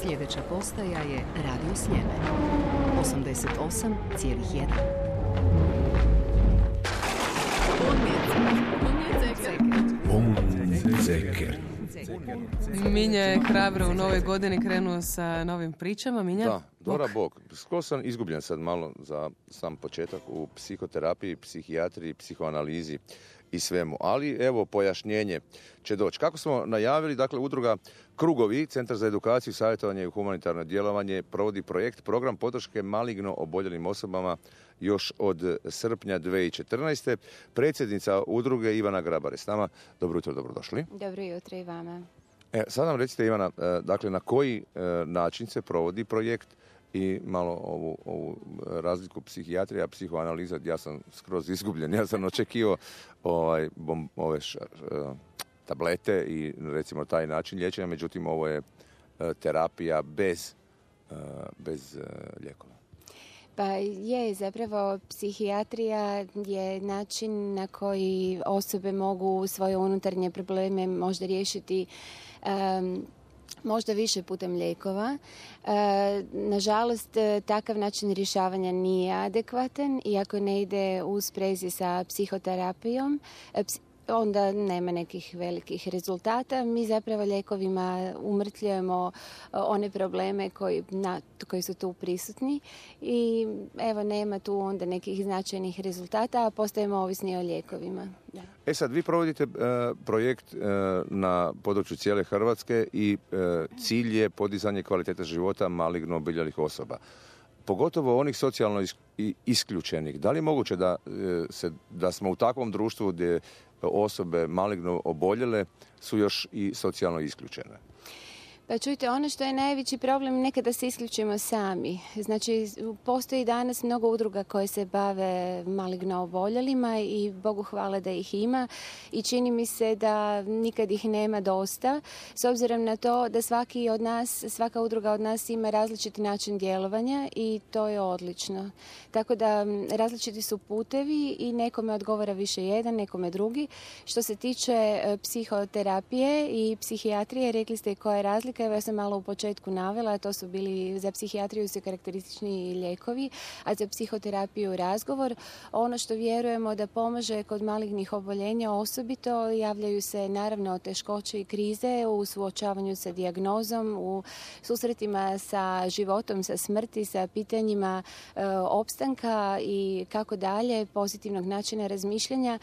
Sljedeća postaja je Radio Sljeme. 88,1. Minja je hrabro u novoj godini krenuo sa novim pričama. Minja? Da, Dora Bog. Skoro sam izgubljen sad malo za sam početak u psihoterapiji, psihijatriji, psihoanalizi i svemu. Ali evo pojašnjenje će doći. Kako smo najavili, dakle udruga Krugovi, Centar za edukaciju, savjetovanje i humanitarno djelovanje provodi program podrške maligno oboljelim osobama još od srpnja 2014. Predsjednica udruge Ivana Grabar je s nama. Dobro jutro, dobrodošli. Dobro jutro i vama. Sad nam recite, Ivana, dakle na koji način se provodi projekt i malo ovu razliku psihijatrija, psihoanaliza. Ja sam skroz izgubljen. Ja sam očekivao ove tablete i recimo taj način liječenja, međutim ovo je terapija bez lijekova. Pa je, zapravo psihijatrija je način na koji osobe mogu svoje unutarnje probleme možda riješiti možda više putem lijekova. Nažalost, takav način rješavanja nije adekvatan i ako ne ide u sprezi sa psihoterapijom, onda nema nekih velikih rezultata. Mi zapravo lijekovima umrtljujemo one probleme koji su tu prisutni i evo nema tu onda nekih značajnih rezultata, a postajemo ovisni o lijekovima. Da. Sad, vi provodite projekt na području cijele Hrvatske i cilj je podizanje kvalitete života maligno oboljelih osoba. Pogotovo onih socijalno isključenih. Da li je moguće da smo u takvom društvu gdje osobe maligno oboljele su još i socijalno isključene? Pa čujte, ono što je najveći problem, nekada se isključimo sami. Znači, postoji danas mnogo udruga koje se bave maligno oboljelima i Bogu hvala da ih ima i čini mi se da nikad ih nema dosta, s obzirom na to da svaka udruga od nas ima različiti način djelovanja i to je odlično. Tako da različiti su putevi i nekome odgovara više jedan, nekome drugi. Što se tiče psihoterapije i psihijatrije, rekli ste koja je razlika. Ja sam malo u početku navela, to su bili za psihijatriju su karakteristični lijekovi, a za psihoterapiju razgovor. Ono što vjerujemo da pomaže kod malignih oboljenja osobito, javljaju se naravno teškoće i krize u suočavanju sa dijagnozom, u susretima sa životom, sa smrti, sa pitanjima opstanka i kako dalje, pozitivnog načina razmišljanja.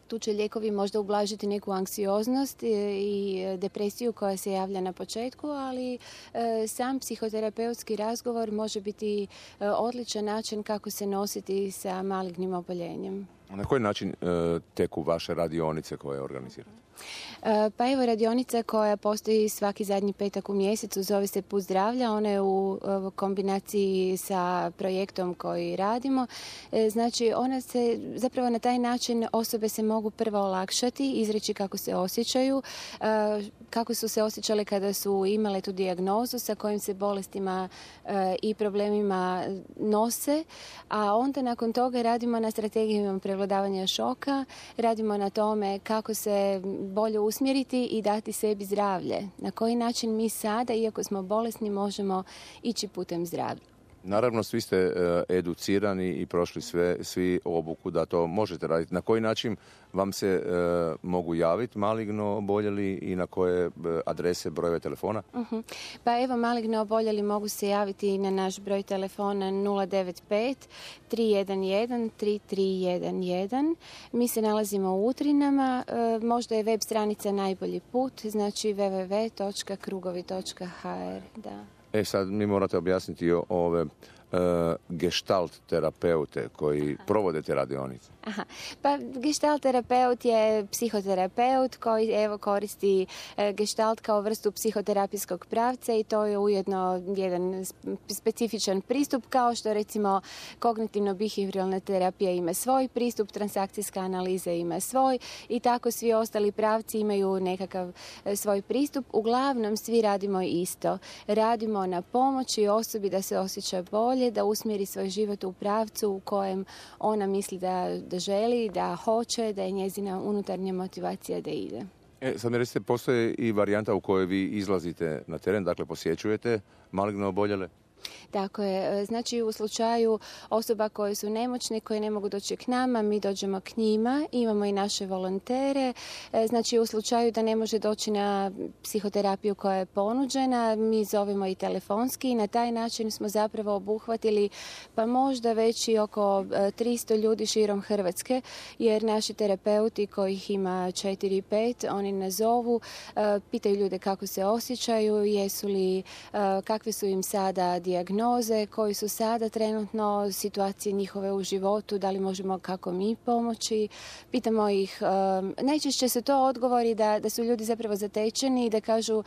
Tu će lijekovi možda ublažiti neku anksioznost i depresiju koja se javlja na početku, ali sam psihoterapeutski razgovor može biti odličan način kako se nositi sa malignim oboljenjem. Na koji način teku vaše radionice koje organizirate? Pa evo, radionica koja postoji svaki zadnji petak u mjesecu zove se Put zdravlja. Ona je u kombinaciji sa projektom koji radimo. Znači, ona se zapravo na taj način osobe se mogu prvo olakšati, izreći kako se osjećaju, kako su se osjećale kada su imale tu dijagnozu, sa kojim se bolestima i problemima nose, a onda nakon toga radimo na strategijama prevladavanja šoka, radimo na tome kako se bolje usmjeriti i dati sebi zdravlje. Na koji način mi sada, iako smo bolesni, možemo ići putem zdravlja. Naravno, svi ste educirani i prošli svi obuku da to možete raditi. Na koji način vam se mogu javiti maligno oboljeli i na koje adrese, brojeve telefona? Pa evo, maligno oboljeli mogu se javiti na naš broj telefona 095 311 3311. Mi se nalazimo u Utrinama. Možda je web stranica najbolji put, znači www.krugovi.hr. Da. Sad mi morate objasniti ove gestalt terapeute koji provode te radionice. Pa gestalt terapeut je psihoterapeut koji koristi gestalt kao vrstu psihoterapijskog pravca i to je ujedno jedan specifičan pristup, kao što recimo kognitivno-behavioralna terapija ima svoj pristup, transakcijska analiza ima svoj i tako svi ostali pravci imaju nekakav svoj pristup. Uglavnom svi radimo isto. Radimo na pomoći osobi da se osjeća bolje, da usmjeri svoj život u pravcu u kojem ona misli da želi, da hoće, da je njezina unutarnja motivacija da ide. Sad mi recite, postoji i varijanta u kojoj vi izlazite na teren, dakle posjećujete maligno oboljele? Tako je. Znači u slučaju osoba koje su nemoćne, koje ne mogu doći k nama, mi dođemo k njima, imamo i naše volontere. Znači u slučaju da ne može doći na psihoterapiju koja je ponuđena, mi zovemo i telefonski i na taj način smo zapravo obuhvatili pa možda već i oko 300 ljudi širom Hrvatske, jer naši terapeuti kojih ima 4-5, oni nas zovu, pitaju ljude kako se osjećaju, kakve su im sada dijagnoze, koji su sada trenutno situacije njihove u životu, da li možemo kako mi pomoći. Pitamo ih, najčešće su to odgovori da su ljudi zapravo zatečeni i da kažu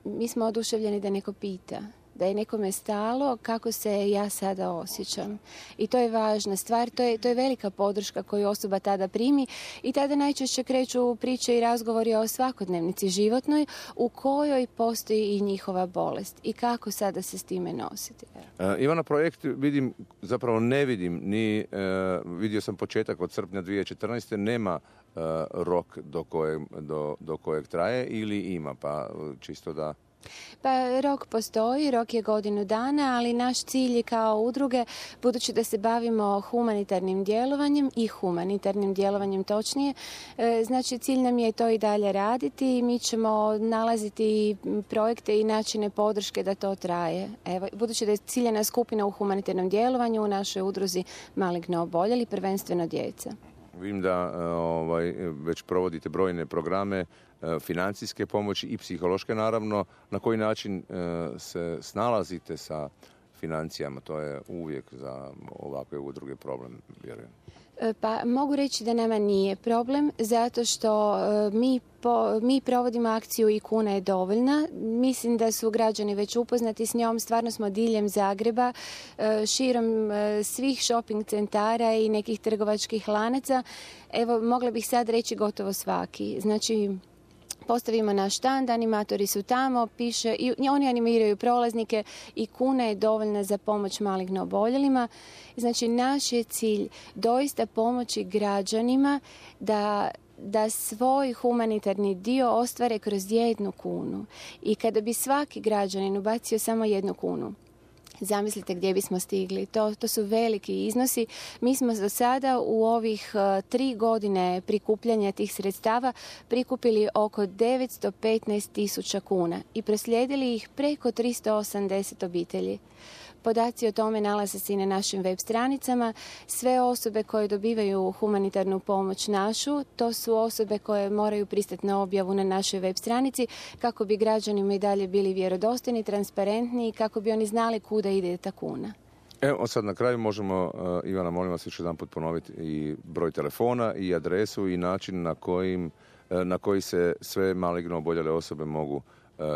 mi smo oduševljeni da neko pita, da je nekome stalo kako se ja sada osjećam. I to je važna stvar, to je velika podrška koju osoba tada primi i tada najčešće kreću priče i razgovori o svakodnevnici životnoj u kojoj postoji i njihova bolest i kako sada se s time nositi. Ivana, projekt ne vidim, vidio sam početak od srpnja 2014. Nema rok do kojeg traje ili ima, pa čisto da... Pa rok postoji, rok je 1 godinu dana, ali naš cilj je kao udruge, budući da se bavimo humanitarnim djelovanjem točnije, znači cilj nam je to i dalje raditi. Mi ćemo nalaziti projekte i načine podrške da to traje. Evo, budući da je ciljena skupina u humanitarnom djelovanju u našoj udruzi maligno oboljeli, prvenstveno djeca. Vidim da već provodite brojne programe, financijske pomoći i psihološke naravno. Na koji način se snalazite sa financijama? To je uvijek za ovakve udruge problem, vjerujem. Pa mogu reći da nama nije problem, zato što mi provodimo akciju i kuna je dovoljna. Mislim da su građani već upoznati s njom. Stvarno smo diljem Zagreba, širom svih shopping centara i nekih trgovačkih lanaca. Evo, mogla bih sad reći gotovo svaki. Znači, postavimo naš štand, animatori su tamo, piše, i oni animiraju prolaznike i kuna je dovoljna za pomoć maligno oboljelima. Znači, naš je cilj doista pomoći građanima da svoj humanitarni dio ostvare kroz 1 kunu. I kada bi svaki građanin ubacio samo 1 kunu, zamislite gdje bismo stigli. To su veliki iznosi. Mi smo do sada u ovih 3 godine prikupljanja tih sredstava prikupili oko 915.000 kuna i proslijedili ih preko 380 obitelji. Podaci o tome nalaze se i na našim web stranicama. Sve osobe koje dobivaju humanitarnu pomoć našu, to su osobe koje moraju pristati na objavu na našoj web stranici kako bi građanima i dalje bili vjerodostojni, transparentni i kako bi oni znali kuda ide ta kuna. Evo sad na kraju možemo, Ivana, molim vas još jedan put ponoviti i broj telefona i adresu i način na koji se sve maligno oboljele osobe mogu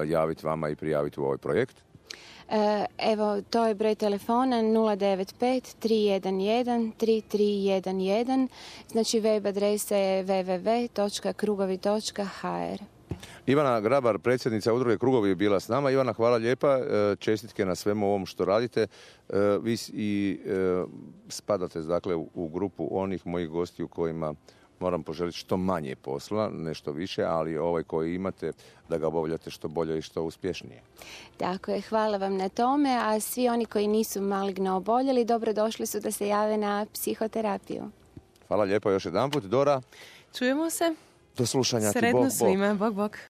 javiti vama i prijaviti u ovaj projekt. Evo, to je broj telefona 095-311-3311, znači web adresa je www.krugovi.hr. Ivana Grabar, predsjednica udruge Krugovi, je bila s nama. Ivana, hvala lijepa, čestitke na svemu ovom što radite. Vi spadate dakle u grupu onih mojih gostiju kojima moram poželiti što manje posla, nešto više, ali ovaj koji imate da ga obavljate što bolje i što uspješnije. Tako je, hvala vam na tome, a svi oni koji nisu maligno oboljeli, dobrodošli su da se jave na psihoterapiju. Hvala lijepo još jedanput. Dora. Čujemo se. Do slušanja. Sretno svima. Bog, bog.